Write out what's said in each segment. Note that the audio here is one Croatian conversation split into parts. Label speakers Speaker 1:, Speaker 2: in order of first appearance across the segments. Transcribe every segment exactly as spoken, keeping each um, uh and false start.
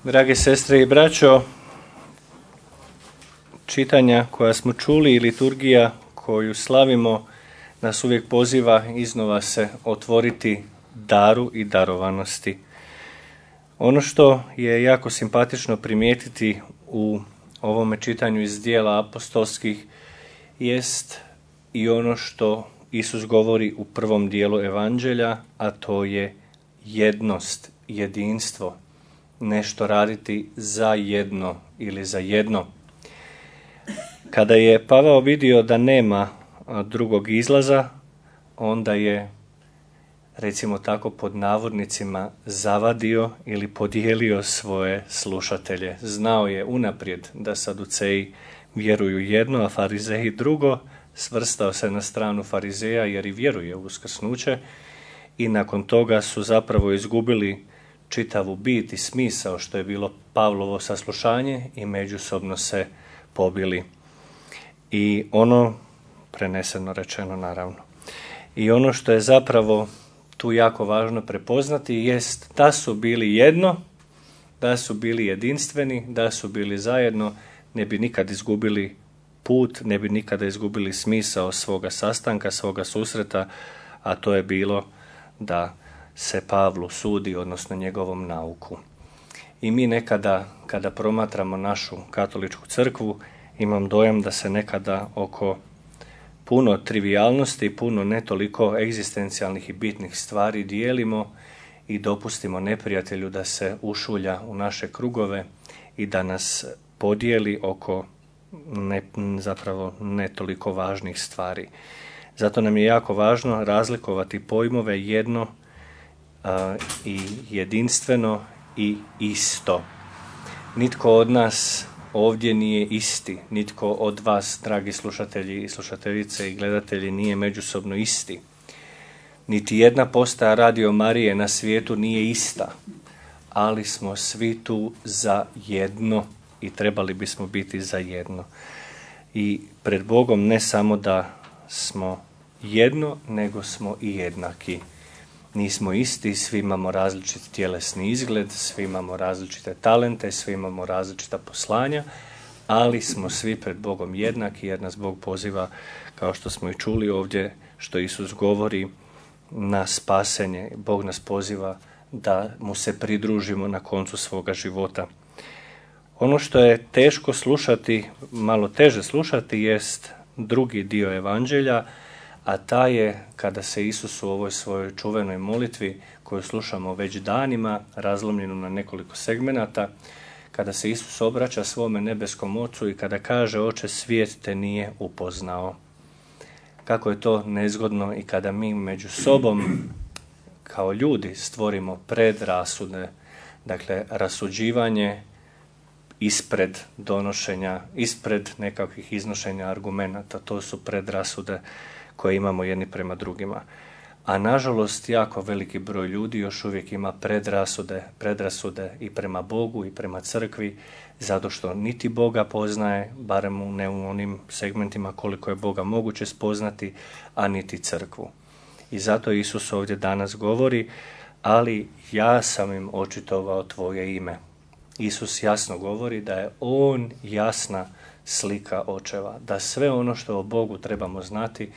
Speaker 1: Drage sestre i braćo, čitanja koja smo čuli i liturgija koju slavimo nas uvijek poziva iznova se otvoriti daru i darovanosti. Ono što je jako simpatično primijetiti u ovome čitanju iz dijela apostolskih jest i ono što Isus govori u prvom dijelu evanđelja, a to je jednost, jedinstvo, nešto raditi za jedno ili za jedno. Kada je Pavao vidio da nema drugog izlaza, onda je, recimo tako pod navodnicima, zavadio ili podijelio svoje slušatelje. Znao je unaprijed da Saduceji vjeruju jedno, a Farizeji drugo. Svrstao se na stranu Farizeja jer i vjeruje u uskrsnuće i nakon toga su zapravo izgubili čitavu bit i smisao što je bilo Pavlovo saslušanje i međusobno se pobili. I ono, preneseno rečeno naravno, i ono što je zapravo tu jako važno prepoznati jest da su bili jedno, da su bili jedinstveni, da su bili zajedno, ne bi nikad izgubili put, ne bi nikada izgubili smisao svoga sastanka, svoga susreta, a to je bilo da se Pavlu sudi, odnosno njegovom nauku. I mi nekada, kada promatramo našu katoličku crkvu, imam dojam da se nekada oko puno trivijalnosti, puno ne toliko egzistencijalnih i bitnih stvari dijelimo i dopustimo neprijatelju da se ušulja u naše krugove i da nas podijeli oko ne, zapravo ne toliko važnih stvari. Zato nam je jako važno razlikovati pojmove jedno uh, i jedinstveno i isto. Nitko od nas ovdje nije isti, nitko od vas, dragi slušatelji i slušateljice i gledatelji, nije međusobno isti. Niti jedna postaja Radio Marije na svijetu nije ista, ali smo svi tu za jedno i trebali bismo biti za jedno. I pred Bogom ne samo da smo jedno, nego smo i jednaki. Nismo isti, svi imamo različit tjelesni izgled, svi imamo različite talente, svi imamo različita poslanja, ali smo svi pred Bogom jednaki jer nas Bog poziva, kao što smo i čuli ovdje, što Isus govori, na spasenje. Bog nas poziva da mu se pridružimo na koncu svoga života. Ono što je teško slušati, malo teže slušati, jest drugi dio evanđelja, a ta je kada se Isus u ovoj svojoj čuvenoj molitvi, koju slušamo već danima, razlomljenu na nekoliko segmenata, kada se Isus obraća svome nebeskom Ocu i kada kaže: Oče, svijet te nije upoznao. Kako je to nezgodno i kada mi među sobom kao ljudi stvorimo predrasude, dakle rasuđivanje ispred donošenja, ispred nekakvih iznošenja argumenata, to su predrasude koje imamo jedni prema drugima. A nažalost jako veliki broj ljudi još uvijek ima predrasude, predrasude i prema Bogu i prema crkvi, zato što niti Boga poznaje, barem ne u onim segmentima koliko je Boga moguće spoznati, a niti crkvu. I zato Isus ovdje danas govori: ali ja sam im očitovao tvoje ime. Isus jasno govori da je on jasna slika očeva, da sve ono što o Bogu trebamo znati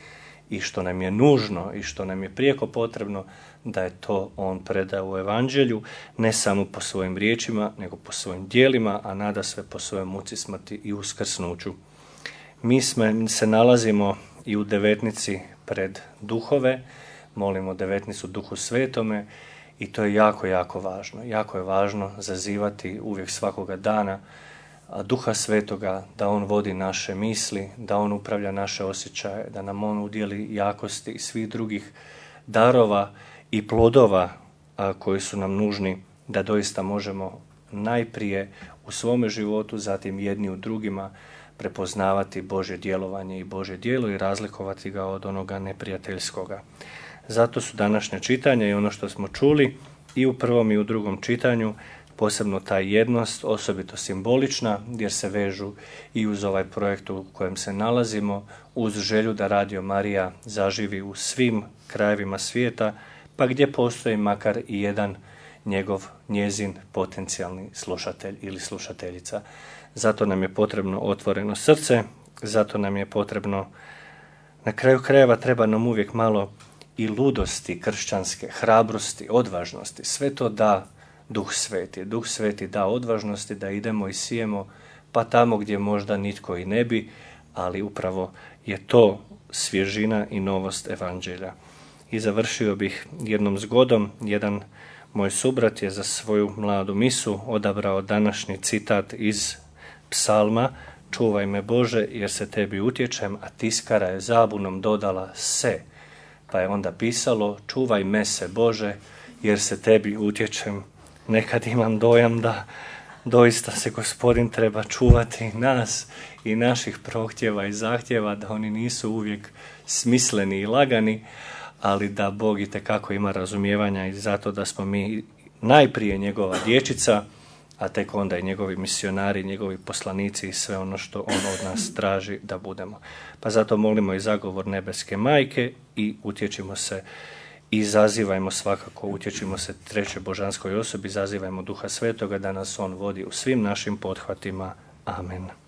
Speaker 1: i što nam je nužno i što nam je prijeko potrebno, da je to on predao u evanđelju, ne samo po svojim riječima, nego po svojim djelima, a nada sve po svojoj muci, smrti i uskrsnuću. Mi sme, se nalazimo i u devetnici pred duhove, molimo devetnicu Duhu Svetome i to je jako, jako važno. Jako je važno zazivati uvijek svakoga dana Duha Svetoga, da on vodi naše misli, da on upravlja naše osjećaje, da nam on udjeli jakosti i svih drugih darova i plodova a, koji su nam nužni da doista možemo najprije u svome životu, zatim jedni u drugima, prepoznavati Božje djelovanje i Božje djelo i razlikovati ga od onoga neprijateljskoga. Zato su današnja čitanja i ono što smo čuli i u prvom i u drugom čitanju, posebno ta jednost, osobito simbolična, jer se vežu i uz ovaj projekt u kojem se nalazimo, uz želju da Radio Marija zaživi u svim krajevima svijeta, pa gdje postoji makar i jedan njegov, njezin potencijalni slušatelj ili slušateljica. Zato nam je potrebno otvoreno srce, zato nam je potrebno, na kraju krajeva treba nam uvijek malo i ludosti kršćanske, hrabrosti, odvažnosti. Sve to da Duh Sveti. Duh Sveti da odvažnosti da idemo i sijemo pa tamo gdje možda nitko i ne bi, ali upravo je to svježina i novost evanđelja. I završio bih jednom zgodom. Jedan moj subrat je za svoju mladu misu odabrao današnji citat iz psalma: čuvaj me Bože jer se tebi utječem, a tiskara je zabunom dodala se. Pa je onda pisalo: čuvaj me se Bože jer se tebi utječem. Nekad imam dojam da doista se Gospodin treba čuvati nas i naših prohtjeva i zahtjeva, da oni nisu uvijek smisleni i lagani, ali da Bog itekako ima razumijevanja i zato da smo mi najprije njegova dječica, a tek onda i njegovi misionari, njegovi poslanici i sve ono što on od nas traži da budemo. Pa zato molimo i zagovor nebeske majke i utječimo se i zazivajmo svakako, utječimo se trećoj božanskoj osobi, zazivajmo Duha Svetoga da nas on vodi u svim našim pothvatima. Amen.